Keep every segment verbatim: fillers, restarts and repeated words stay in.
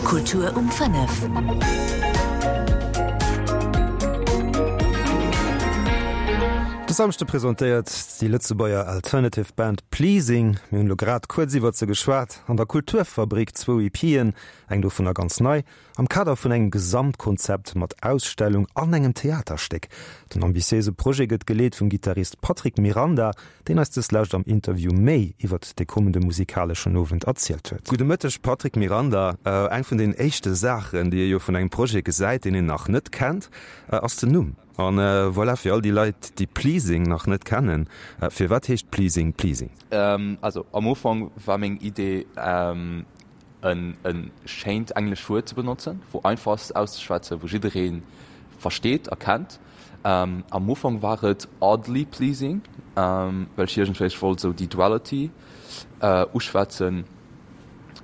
Kultur um fënnef. De Samschde presentéiert déi Lëtzebuerger Alternative Band Pleasing, mir hunn elo grad kuerz iwwert se geschwat, an der Kulturfabrik zwou EPen, eng dovunner ganz nei, am Kader vun engem Gesamtkonzept mat Ausstellung an engem Theaterstéck. Den ambitiéise Projet gëtt geleet vum Gittarist Patrick Miranda, deen eis deslescht am Interview méi iwwert de kommende musikaleschen Owend erzielt huet. Gudde Mëtteg Patrick Miranda, eng vun den éischte Saachen, déi ee jo vun engem Projet gesäit, deen een nach net kennt, ass den Numm. An voilà, fir all déi Leit, déi Pleasing nach net kennen, firwat heescht Pleasing Pleasing? Also am Ufank war meng Idee en e schéint englescht Wuert ze benotzen, wou einfach ass auszeschwätzen, wou jidderee versteet a kennt. Am Ufank war et oddly pleasing, well ech iergendwéi ech wollt esou déi Duality uschwätzen.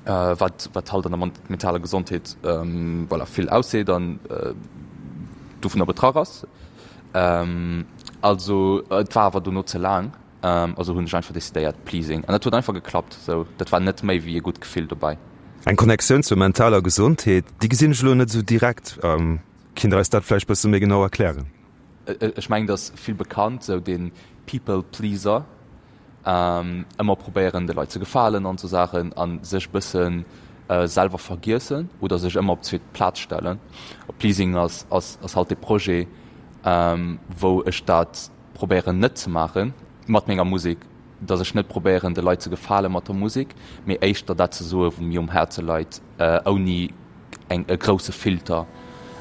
wat wat halt an der mentaler Gesondheet voilà vill ausseet an dovunner betraff ass. Also et war awer dono ze laang, also hunn ech einfach decidéiert Pleasing an dat huet einfach geklappt sou. Dat war net méi wéi e gutt Gefill dobäi. Eng Connectioun zur mentaler Gesondheet, déi gesinn ech elo net esou direkt. Kinnt Der eis dat vläicht bësse méi genau erklären? Ech mengen et ass vill bekannt, sou dee People Pleaser, ëmmer probéieren de Leit ze gefalen an sou Saachen a sech bësse selwer vergiessen oder sech ëmmer op zweet Plaz stellen. A Pleasing ass ass ass halt dee Projet, wou ech dat probéieren net ze maache mat menger Musek, datt ech net probéieren de Leit ze gefale mat der Musek, mee éischter dat ze soe wou mir um Häerze leit, ouni eng e grousse Filter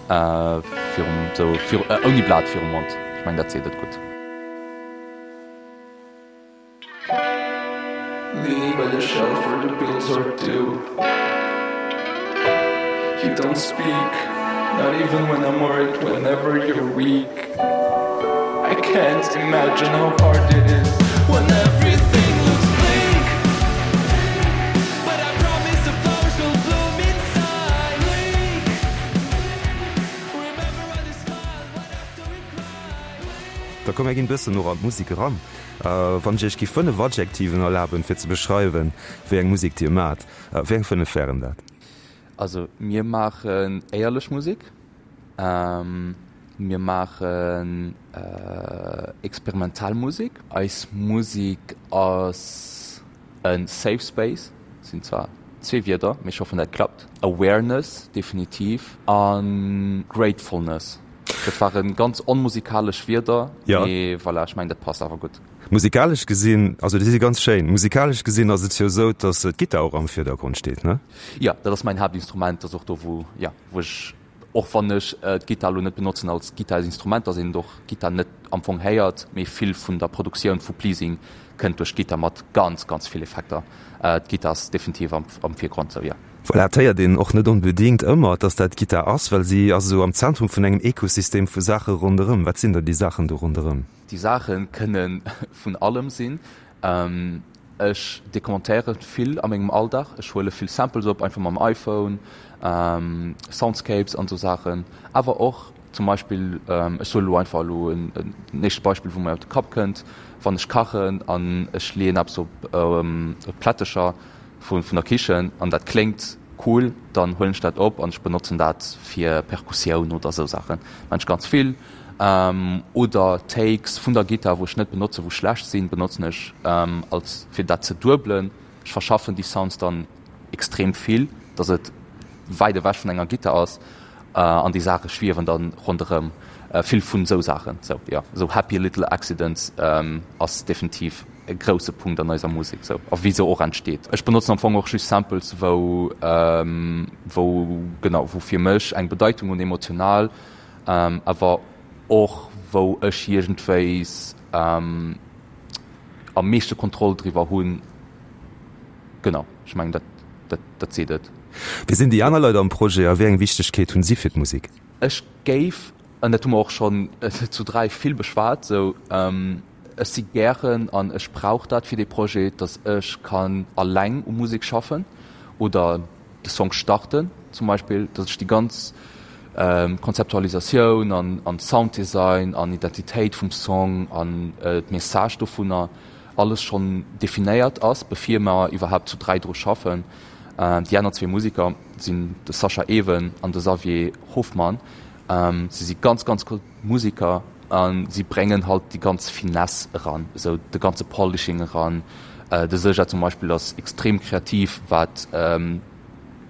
virum sou ouni Blat virum Mond. Ech mengen dat seet et gutt. Leaning by the shelf where the bills are due You don't speak, not even when I'm worried whenever you're weak I can't imagine how hard it is when everything looks bleak But I promise the flowers will bloom inside Bleak Remember when you smiled, what after we cried Da komm mir ginn bëssen och an d'Musek eran. Wann ech iech géif fënnef Adjektiven erlaben, fir ze beschreiwen, wéi eng Musek dir maacht, wéi eng fënnef wären dat? Also mir maachen éierlech Musek, mir maachen experimentell Musek. Eis Musek ass e Safe Space, sinn zwar zwee Wierder, mee ech hoffen dat klappt. Awareness definitiv a Gratefulness. Dat ware ganz onmusikalesch Wierder, mee voilà, ech mengen dat passt awer gutt. Musikalesch gesinn, also déi si ganz schéin, musikalesch gesinn ass et jo esou, datt d'Gittar och am Virdergrond steet, ne? Jo, dat ass mäin Haaptinstrument, dat ass och do wou, jo, wou ech, och wann ech d'Gittar elo net benotzen als Gittarsinstrument, datt een och d'Gittar net am Fong héiert, mee vill vun der Produktioun vu Pleasing kënnt duerch d'Gittar mat ganz, ganz vill Effekter. D'Gittar ass definitiv am am Virgrond, sou jo. Voilà, et héiert een och net onbedéngt ëmmer, dass dat d'Gittar ass, well si ass esou am Zentrum vun engem Ekosystem vu Saache ronderëm. Wat sinn da déi Saachen do ronderëm? Déi Saache kënne vun allem sinn. Ech dekomentéiere vill a mengem Alldag. Ech huele vill Samples op, einfach mam iPhone, Soundscapes an esou Saachen. Awer och zum Beispill, ech soe lo einfach elo en éischt Beispill, wou mir op de Kapp kënnt, wann ech kachen an ech leeën eppes op d'Plättecher, vun der Kichen an dat kléngt cool, dann huelen ech dat op an ech benotzen dat fir Perkussioun oder esou Saachen. Maan ech ganz vill. Oder Takes vun der Gittar wou ech net benotzen, wou schlecht sinn, benotzen ech als fir dat ze duebelen. Ech verschaffen déi Sounds dann extrem vill, dass et wäit ewech vun enger Gittar ass an déi Saache schwiewen dann ronderëm. Vill vun esou Saachen, sou jo, esou happy little accidents ass definitiv e grousse Punkt an eiser Musek sou a wéi se och entsteet. Ech benotzen am Fong och just Samples wou wou genau wou fir mech eng Bedeitung hunn emotional, awer och wou ech iergendwéis am meeschte Kontroll driwwer hunn. Genau, ech mengen dat dat dat seet et. Wie sinn déi aner Leit am Projet a wéi eng Wichtegkeet hunn si fir d'Musek? Ech géif, an dat hu mer och schonn zu dräi vill beschwat, sou Ech si gären an ech brauch dat fir dee Projet, datt ech kann alleng u Musek schaffen oder de Song starten zum Beispill, datt ech déi ganz Konzeptualisatioun an an Sounddesign an Identitéit vum Song an d'Message dovunner alles schonn definéiert ass, bevir mer iwwerhaapt zu dräi dru schaffen. Déi aner zwee Museker sinn de Sascha Ewen an de Xavier Hoffmann. Si si ganz, ganz gutt Museker a si bréngen halt déi ganz Finesse eran, esou de ganze Polishing eran. De Sascha zum Beispill ass extrem kreativ wat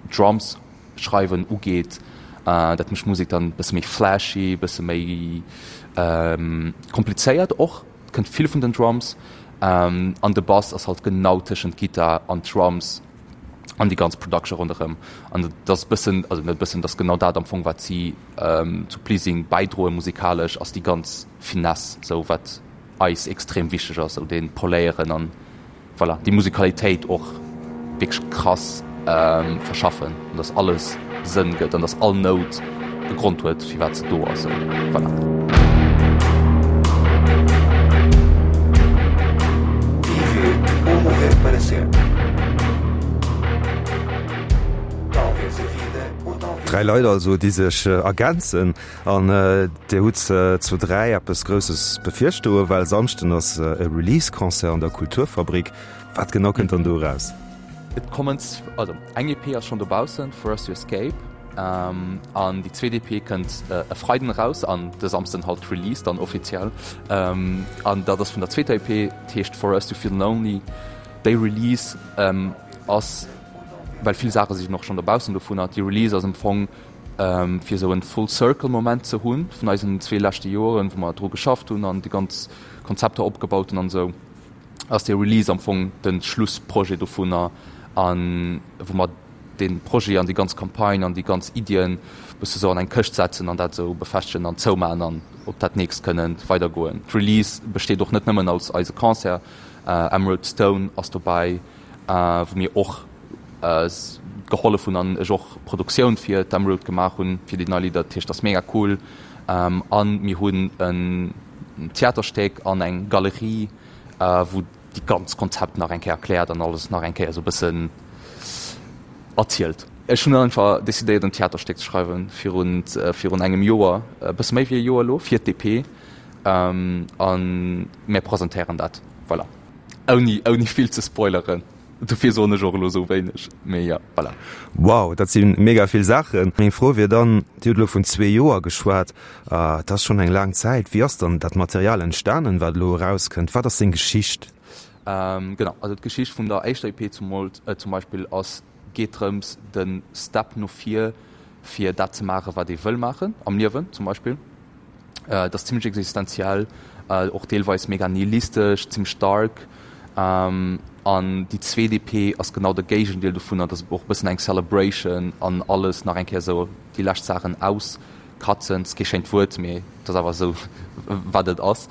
Drums schreiwen ugeet. Dat mécht d'Musek dann e bësse méi flashy, e bësse méi komplizéiert och. Et kënnt vill vun den Drums an de Bass ass halt genau tëschent Gittar an Drums an déi ganz Production ronderëm. An dat ass bëssen, also net bëssen, dat ass genau dat am Fong wat si zu Pleasing bäidroen musikalesch, ass déi ganz Finesse, sou wat eis extrem wichteg ass, sou dee Poléieren an voilà, déi Musikalitéit och wierklech krass verschaffen an dass alles Sënn gëtt an dass all Nout e Grond huet, firwat se do ass. Voilà. Dräi Leit also, déi sech ergänzen. An Dir hutt zu dräi eppes Grousses bevirstoen, well Samschden ass e Release-Concert an der Kulturfabrik. Wat genau kënnt dann do eraus? Et kommen, also eng EP ass schonn dobaussen, For Us To Escape, an déi zweet EP kënnt e Freiden eraus an de Samsden halt d'Release dann offiziell. An dat ass vun der zweeter EP, d'heescht For Us To Feel Lonely. Déi Release ass, well vill Saache sinn och schonn dobaussen dovunner, déi Release ass am Fong fir esou en Full Circle Moment ze hunn vun eisen zwee leschte Joren, wou mer dru geschafft hunn an déi ganz Konzepter opgebaut hunn an esou. Ass dee Release am Fong de Schlussprojet dovunner an wou mer dee Projet an déi ganz Campagne an déi ganz Iddien bësse sou an eng Këscht setzen an dat esou befestegen an zoumaachen an op dat nächst kënnen weidergoen. D'Release besteet och net nëmmen als eise Concert, Emerald Stone ass dobäi, wou mir och gehollef hunn an ech och Produktioun fir d'Emerald gemaach hunn fir déi nei Lidder. Dat heescht, dat ass mega cool. An mir hunn en Theaterstéck an eng Galerie, wou déi ganz Konzept nach eng Kéier erkläert an alles nach eng Kéier esou e bëssen erzielt. Ech hunn einfach decidéiert en Theaterstéck ze schreiwen virun virun engem Joer, e bësse méi wéi e Joer elo, fir d'EP an mär presentéieren dat, voilà, ouni ouni vill ze spoileren. Dofir soen ech och elo esou wéineg, mee jo, voilà. Wow, dat si mega vill Saachen. Meng Fro wier dann, Dir hutt elo vun zwee Joer geschwat, dat ass schonn eng laang Zäit. Wéi ass dann dat Material entstanen, wat elo erauskënnt? Wat ass seng Geschicht? Genau, also d'Geschicht vun der éischter EP zum Beispill ass, geet drëms, de Step no vir, fir dat ze maachen, wat ee wëll maachen am Liewen zum Beispill. Et ass zimmlech existenziell, och deelweis mega nihilistesch, zimmlech dark. An déi zweet EP ass genau de Géigendeel dovunner, et ass och e bëssen eng Celebration an alles nach eng Kéier esou déi lescht Saachen auskratzen. Et ass kee schéint Wuert, mee et ass awer esou wat et ass.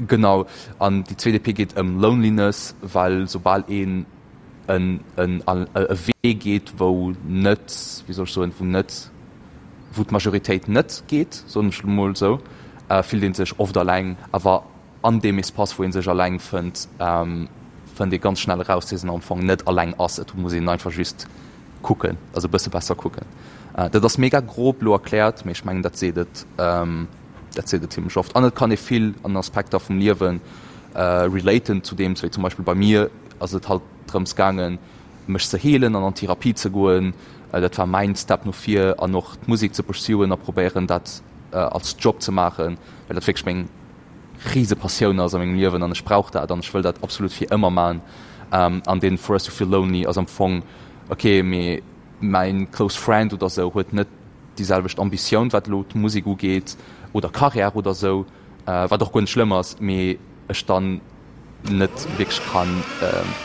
Genau, an déi zweet EP geet ëm Loneliness, well soubal een en e Wee geet, wou net, wéi soll ech soen, wou net, wou d'Majoritéit net geet, soen ech elo mol esou, fillt ee sech oft alleng. Awer an deem Espace, wou ee sech alleng fënnt, fënnt ee ganz schnell eraus, dass een am Fong net alleng ass. Et muss een einfach just kucken, also e bësse besser kucken. Dat ass mega grob elo erkläert, mee ech mengen, dat seet et, dat seet et zimlech oft. An et kann ee vill an Aspekter vum Liewe relaten zu deem, wéi zum Beispill bei mir ass et halt drëms gaangen, mech ze heelen an an Therapie ze goen. Dat war mäin Step no vir an och d'Musek ze pursuen a probéieren dat als Job ze maachen, well dat wierklech meng rise Passioun ass a mengem Liewen an ech brauch dat an ech wëll dat absolut fir ëmmer maachen. An deen For Us To Feel Lonely ass am Fong, ok, mee mäin close friend oder sou huet net déi selwecht Ambitioun wat elo d'Musek ugeet oder Karriär oder sou, wat och guer net schlëmm ass, mee ech dann net wierklech kann,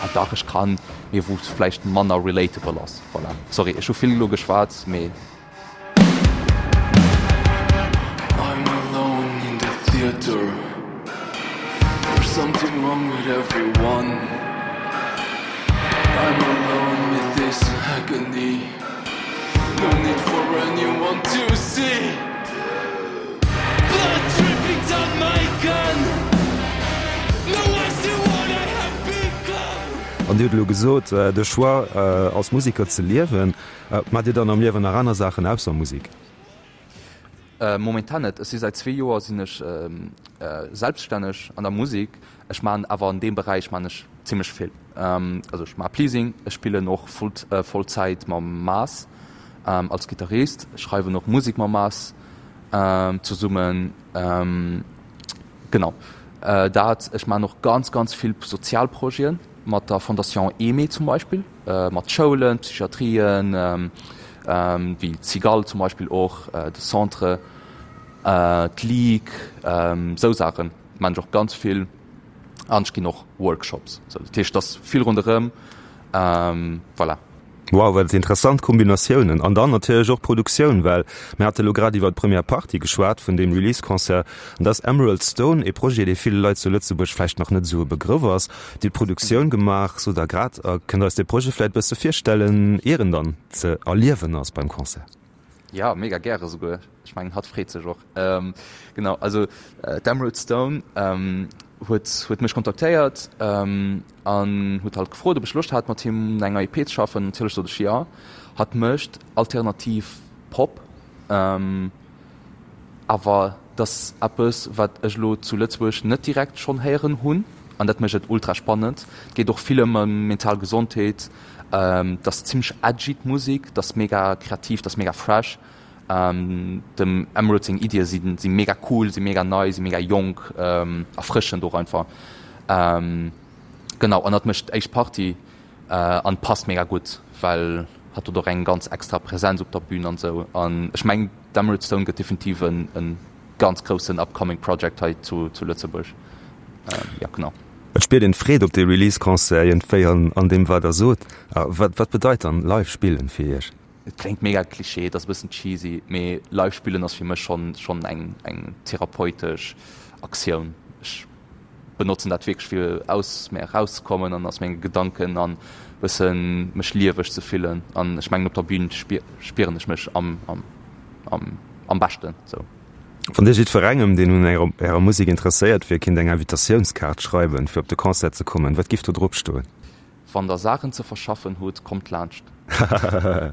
ah dach ech kann, mee wou et vläicht manner relatable ass. Voilà, sorry ech hu vill elo geschwat, mee. I'm alone in the theater There's something wrong with everyone I'm alone with this agony No need for anyone to see Blood dripping down my gun No I see what I have become. An Dir hutt elo gesot, de Choix als Museker ze liewen. Maacht Dir dann am Liewen nach aner Saachen ausser Musek? Momentan net. Ech si säit zwee Joer sinn ech selbststänneg an der Musek. Ech maachen awer an deem Beräich maachen ech zimmlech vill. Also ech maache Pleasing, ech spillen och Vollzäit mam Maas als Gittarist, ech schreiwen och Musek mam Maas zesummen. Genau dat. Ech maachen och ganz, ganz vill sozial Projeten, mat der Fondation Aimée zum Beispill, mat Schoulen, Psychiatrien, wéi d'Cigale zum Beispill och, de Centre, d'Ligue, esou Saache maachen ech och ganz vill. An ech ginn och Workshops. Sou, dat heescht, et ass vill ronderëm. Voilà. Wow, wat interessant Kombinatiounen! An dann natierlech och d'Produktioun, well mir hate lo grad iwwer d'Première Partie geschwat vun deem Release-Concert. An da ass Emerald Stone ee Projet, dee ville Leit zu Lëtzebuerg vläicht nach net esou e Begrëff ass. Dir hutt d'Produktioun gemaach, sot Der grad. A kënnt Der eis dee Projet vläicht e bësse virstellen, ier en dann ze erliewen ass beim Concert? Jo, mega gäre souguer. Ech mengen, hatt freet sech och. Genau, also d'Emerald Stone huet huet mech kontaktéiert an huet halt gefrot, ob ech Loscht hat, mat him un enger E P ze schaffen. Natierlech sot ech jo. Hatt mécht alternativ Pop, awer dat ass eppes, wat ech elo zu Lëtzebuerg net direkt schonn héieren hunn an dat mécht et ultra spannend. Et geet och vill ëm mental Gesondheet. Et ass zimmlech edgy d'Musek, et ass mega kreativ, et ass mega fresh. Dem Emerald seng Iddie si si mega cool, si mega nei, si mega jonk, erfrëschend och einfach. Genau, an hatt mécht d'éischt Partie an passt mega gutt, well hatt huet och eng ganz extra Präsenz op der Bün an esou. An ech mengen d'Emerald Stone gëtt definitiv en e ganz groussen upcoming Project hei zu zu Lëtzebuerg. Jo, genau. Et spiert een d'Freed op dee Release-Concert iergendwéi an an deem wat der sot. Wat wat bedeit dann live spillen fir iech? Et kléngt mega Klischee, et ass e bëssen cheesy, mee live spillen ass fir mech schonn schonn eng eng therapeutesch Aktioun. Ech benotzen dat wierklech fir aus mär erauszekommen an aus menge Gedanken an bëssen mech lieweg ze fillen. An ech mengen op der Bühn spieren ech mech am am am am beschten sou. Wann Dir jiddwerengem, deen un Ärer Musek interesséiert wier, kinnt eng Invitatiounskaart schreiwen, fir op de Concert ze kommen, wat giff do drop stoen? Wann Der Saachen ze verschaffen hutt, kommt laanscht. A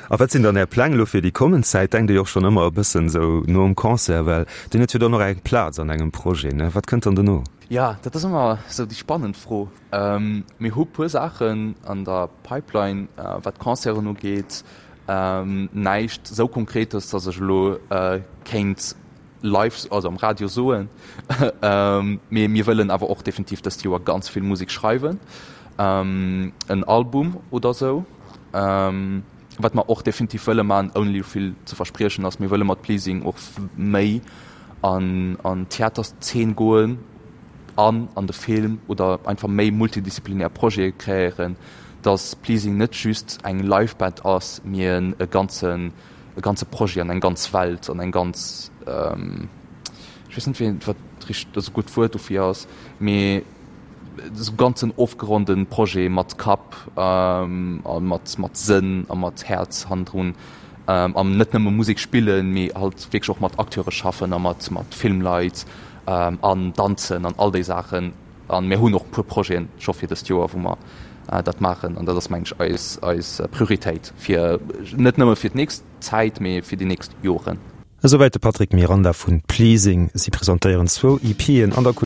wat sinn dann Är Pläng elo fir déi kommend Zäit? Denkt Dir jo och schonn ëmmer e bëssen esou nom Concert, well Dir hutt jo dann och eng Plaz an engem Projet, ne? Wat kënnt dann dono? Jo, dat ass ëmmer esou déi spannend Fro. Mir hu puer Saachen an der Pipeline, wat d'Concerten ugeet. Näischt esou Konkretes, datt ech elo kéint live, also am Radio soen. Mee mir wëllen awer och definitiv dëst Joer ganz vill Musek schreiwen, en Album oder esou. Wat mer och definitiv wëlle maachen, ouni elo vill ze verspriechen, ass, mir wëlle mat Pleasing och méi an an d'Theaterszeen goen an an de Film oder einfach méi multidisziplinär Projete kreéieren, dass Pleasing net just eng Live-Band ass, mee e ganzen e ganze Projet an eng ganz Welt an eng ganz, ech weess net wéi wat richteg esou gutt Wuert dofir ass, mee esou ganzen ofgeronde Projet mat Kapp a mat mat Sënn a mat Häerz hannendrun an net nëmme Musek spillen, mee halt wierklech och mat Acteure schaffen a mat mat Filmleit an danzen an all déi Saachen. An mir hunn och e puer Projeten scho fir dëst Joer, wou mer dat maachen. An dat ass, mengen ech, eis, eis Prioritéit fir net nëmme fir d'nächst Zäit, mee fir déi nächst Joren. Esouwäit de Patrick Miranda vun Pleasing. Si presentéieren zwou EPen an der.